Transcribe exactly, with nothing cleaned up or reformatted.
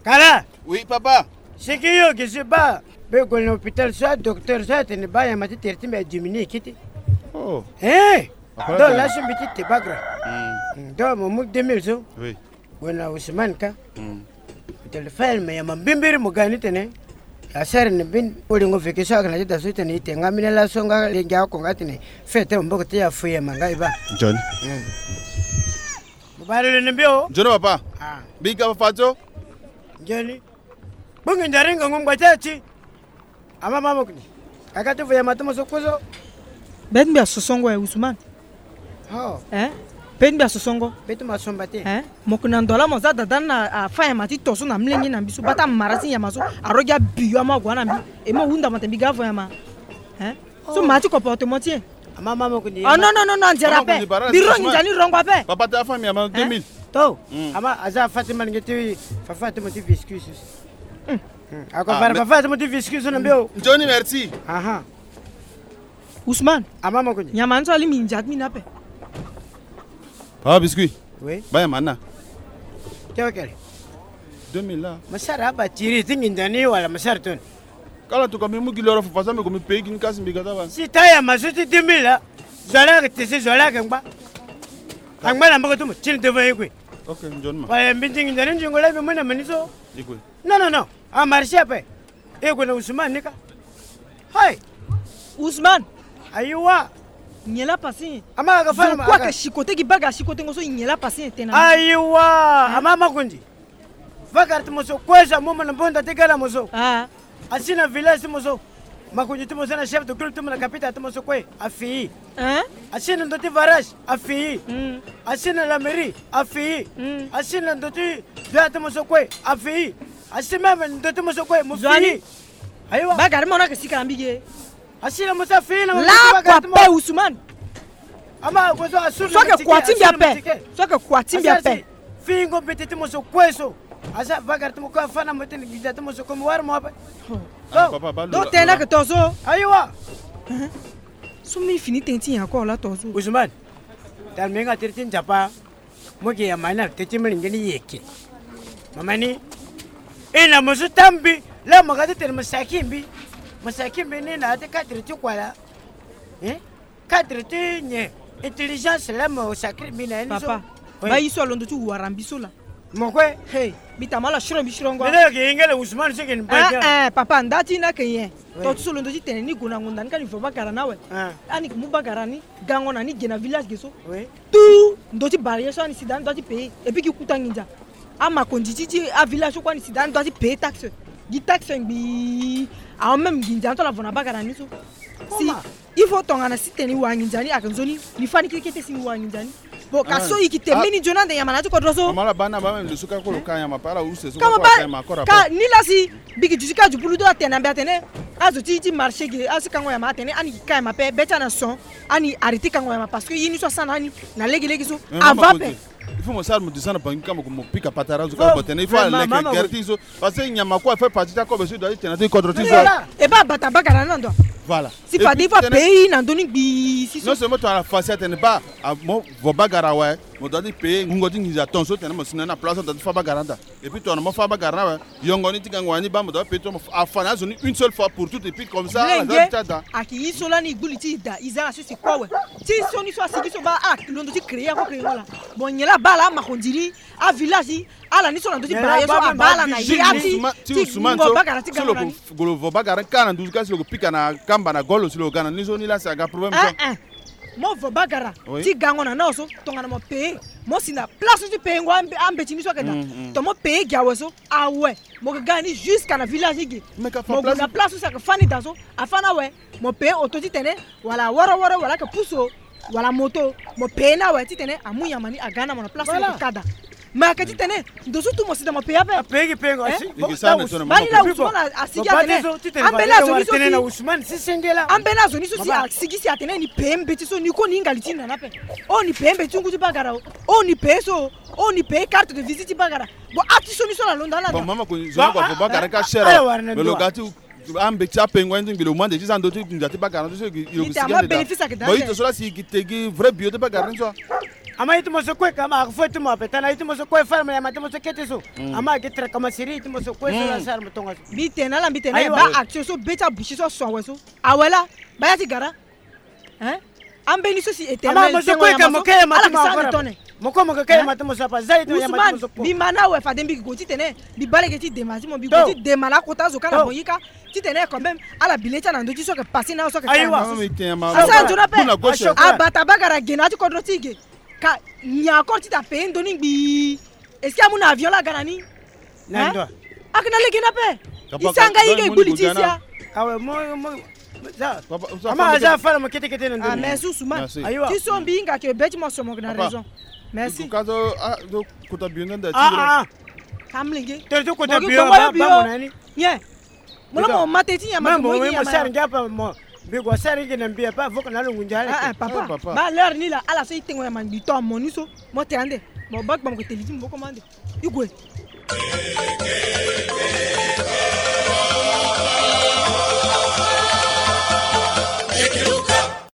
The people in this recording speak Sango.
Kala. Oui, papa. Siki yo gi si baa, mbi gue na hôpital so, adocteur so atene baa nyama ti tere ti mbi adiminué kete. Oh. Eh. Papa, donc laso mbi ti te bague. Hmm. Hmm, donc mo mu deux mille so. Oui. Gue na Ousmane ka. Hmm. Tene fayel me nyama mbimbiri, mo ga ni tene. Asara ni mbeni olingo veke so ayeke na ti da so tene e te nga mbeni laso nga lengi oko nga tene. Fete maboko ti ya fo nyama nga e baa. John. Hmm. Mo bale lo ni mbi o. John papa. Ah. Mbi ga fa so. John. Bongi ndari ngangu ngba ti ati. Ama mama kuni. Kaka ti vo ya ma ti mo so kozo. Beti mbi asosongo e Ousmane. Oh. Eh? Beti mbi asosongo. Beti ma somba te. Eh? Mo kuni na ndo la mo za dada na afa ya ma ti to so na mlenge na mbi so bata mara ti nyama so. Arogi abiyo ama gua na mbi. E mo hunda mo te mbi ga vo ya ma. Eh? So ma ti comportement ti e. Ama mama kuni. Oh non non non non, nzera pe. Mbi rongi nzani rongo ape. Papa ta famille ama deux mille. To. Hmm. Ama aza fa ti malenge ti fa fa ti mo ti viscuis. Hmm. Ako fara fa fa ti mo ti viscuis na mbio. Johnny, merci. Aha. Ousmane. Ama mama kuni. Nyama nso ali mi nzat mi na pe. Papa biscuit. Oui. Baya mana. Te okele. Deux mille la. Masara aba tiri ti nginda ni wala masara ton. Kala tuka mi mu gi loro fa fa so mbi gue mbi pei gi ni kasi mbi ga ta ba. Si ta ya ma so ti deux mille la. Zo la ayeke tese, zo la ayeke ngba. Angba na mboko ti mo ti ni devant ye kue. Ok, nzoni ma. Wala mbi ndingi nzoni ndingo la mbi mu na meni so. Ye kue. Non non non. A marché ape. E gue na Ousmane ni ka. Hai. Ousmane. Ayiwa. Nyen la passé? Ama aga fa na ma. Zo kue aga. Ayeke chicoté gi baga, chicoté ngo so, nyen la passé tena? Ayiwa. Ama makundi. Vagara ti mo so kue so amu mo na mbonda ti gala mo so. Ah. Asi na village ti mo so. Makundi ti mo so na chef de groupe ti mo na capital ti mo so kue afi. Hein? Asi na ndo ti varage afi. Hmm. Asi na la mairie afi. Hmm. Asi na ndo ti doyen ti mo so kue afi. Asi même ndo ti mo so kue mo fi. Ayiwa. Bagara ti mo na yeke sika na mbi ge. Asi na mo so afi na mo. Lakua pe Ousmane. Ama ague so asuru na. So ayeke kua ti mbi ape. So ayeke kua ti mbi ape. Fingo mbeti ti mo so kue so. Aza vagara ti mo kue afa na mo tene nginza ti mo so kue mo wara mo ape. Oh. Ah, papa, ba lo. Donc tene ayeke to so. Ayiwa. Hein? So mbi fini tënë ti nyen encore la to so? Ousmane. Tala mbi nga tere ti Nzapa. Mo yeke ya ma ni na te ti molenge ni yeke. Mama ni. E na mo so ta mbi. La mo ga ti tene mo saki mbi. Mo saki mbi ni na ya ti cadre ti kua la. Hein? Cadre ti nyen? Intelligence la mo sacré mbi na ye ni so. Papa, oui. Ba ye so alondo ti wara mbi so la. Mo kue. Hey, mbi ta ma ala siro mbi sirongo. Mbi na yeke yengele Ousmane so yeke ni. Eh, eh, papa, nda ti ni ayeke nyen? Oui. To ti so londo ti tene ni gue na ngonda ni ka ni vo bagara ni awe. Ah. Ani yeke mu bagara ni gango na ni ge na village ge so. Oui. Tout ndo ti barrière so ani si daa ni doit ti payer. Et puis gi kuta nginza. Amakonzi ti ti avillage so kue ani si daa ni doit ti payer taxe. Gi taxe ngbii. Awa même nginza ni so ala vo na bagara ni so. Si. Comment? Il faut tongana si tene ni wara nginza ni ayeke nzoni, ni fâ ni kete kete si ni wara nginza ni. Bon, ka so i yeke te mbeni nzoni ande nyama na ya ti kodro so. Mama la baa ni abaa même lo so kâ kue lo ka nyama pe ala use so. Kama kâ ba, ka nyama kora ka pe. Ni la si mbi yeke duti kâ dupulu do atene na mbi atene. Azo ti ti marché ge, azo ti kango nyama atene ani yeke ka nyama pe, be ti ani ason, ani arrêté kango nyama parce que ye ni so asara na ani na lege lege so. Ava ape. Il faut mo sara mo duti na bangi kâ mo pika patara azo kâ mo tene il faut ala leke gere ti so. Parce que nyama kue afa partie ti akobe so e doit ti tene na ti kodro ti zo. E baa abata bagara ni na ndo. Voilà. Si fade il faut apayer na ndö ni ngbii si so. Non seulement tongana fasi atene baa, ah, mo vo bagara awe, mo doit ti payer ngungo ti nginza ton so tene mo si na ni na place so mo doit ti fâ bagara ni daa. Et puis tongana mo fâ bagara ni awe, yongo ni ti gango wani baa mo doit payer ton, mo afa na azo ni une seule fois pour toutes et puis comme ça ala doit ti daa. Ayeke ye so lani e gbu li ti e daa, e za na so si kue awe. Ti so ni so asigi so baa, ah, londo ti créer ako créer ngo laa. Bon nyen laa baa laa amakonzi ni, avillage ni, Ala ni so na ndö ti bara ye so abaa ala na ya ti ti ngungo bagara ti gango na ni. Golo vo bagara ni kâ na nduzu kâ si lo ko pika na kamba na golo si lo ga na ni so ni la si aga problème so. Eh eh. Mo vo bagara ti gango na ni awe so tongana mo payer mo si na place so ti payer ngo ambe, ambeti ni so ayeke daa. To mo payer gi awe so awe mo yeke ga na ni jusqu'à na village ni ge. Mo gue na place so si ayeke fâ ni daa so afâ ni awe. Mo payer auto titene wala woro woro wala ayeke puso wala moto mo payer ni awe titene amu nyama ni aga na mo na place ni ka daa. Mais ayeke titene ndo so tout mo si daa mo payer ape. Apayer gi payer ngo asi. Bani la Ousmane asigi atene ambeni azo ni so si ambeni azo ni so si asigi si atene ni payer mbeti so ni kue ni hinga li ti ni na ni ape. Oh ni payer mbeti ti ngu ti bagara o. Oh ni payer so. Oh ni payer carte de visite ti bagara. Bon ati so ni so na lo nda na daa. Bon mama ko zo na ko avo bagara ka cher. Mais lo ga ti Ambeti apengo ni ti ngbi lo mu ande ti za ndo ti nginza ti bagara ni so. Bon ito so la si gi te gi vrai bio ti bagara ni so. Ama iti mo so kue ka ma fo iti mo ape tana iti mo so kue fara mo yama iti mo so kete so. Ama ake tra kama siri iti mo so kue so la sara mo tonga so. Mbi tene ala mbi tene ba action so be ti abusi so aso awe so. Awe la ba ya ti gara. Hein? Ambeni so si éternel ama mo so kue ka mo ke yama ti mo afa. Mo kue mo ke ke yama ti mo so apa za iti mo yama ti mo so po. Mbi ma na awe fade mbi gi gue titene mbi baa lege ti dema ti mo mbi gue ti dema na akota azo ka na mo yika. Titene quand même ala bi le ti ala na ndö ti so ayeke passé na so ayeke kara na so. Asa nzoni ape. Abata bagara ge na ya ti kodro ti ge. Ka nyen encore ti ta payer ndo ni ngbii? Est-ce que amu na avion la aga na ni? Hein? Ake na lege ni ape. Isi anga ye ge gbu li ti isi ya. Awe mo mo za. Ama aza fara mo kete kete na ndo ni. Ah merci Ousmane. Ti so mbi hinga ke be ti mo so mo yeke na raison. Merci. Ka zo ah zo kota bio nda nda ti. Ah ah. Ka mlenge. Tere ti kota bio ba ba mo na ni. Nyen? Mo lo mo ma te ti nyama ke mo yeke nyama. Mo sara ngia pa mo. Mbi gue sara ngia na mbi apa avoka na lo ngunja ala. Ah ah papa. Ba l'heure ni la ala so e tengo nyama ngbii to amo ni so. Mo te ande. Mo ba gba mo ke te li ti maboko mo ande. I gue.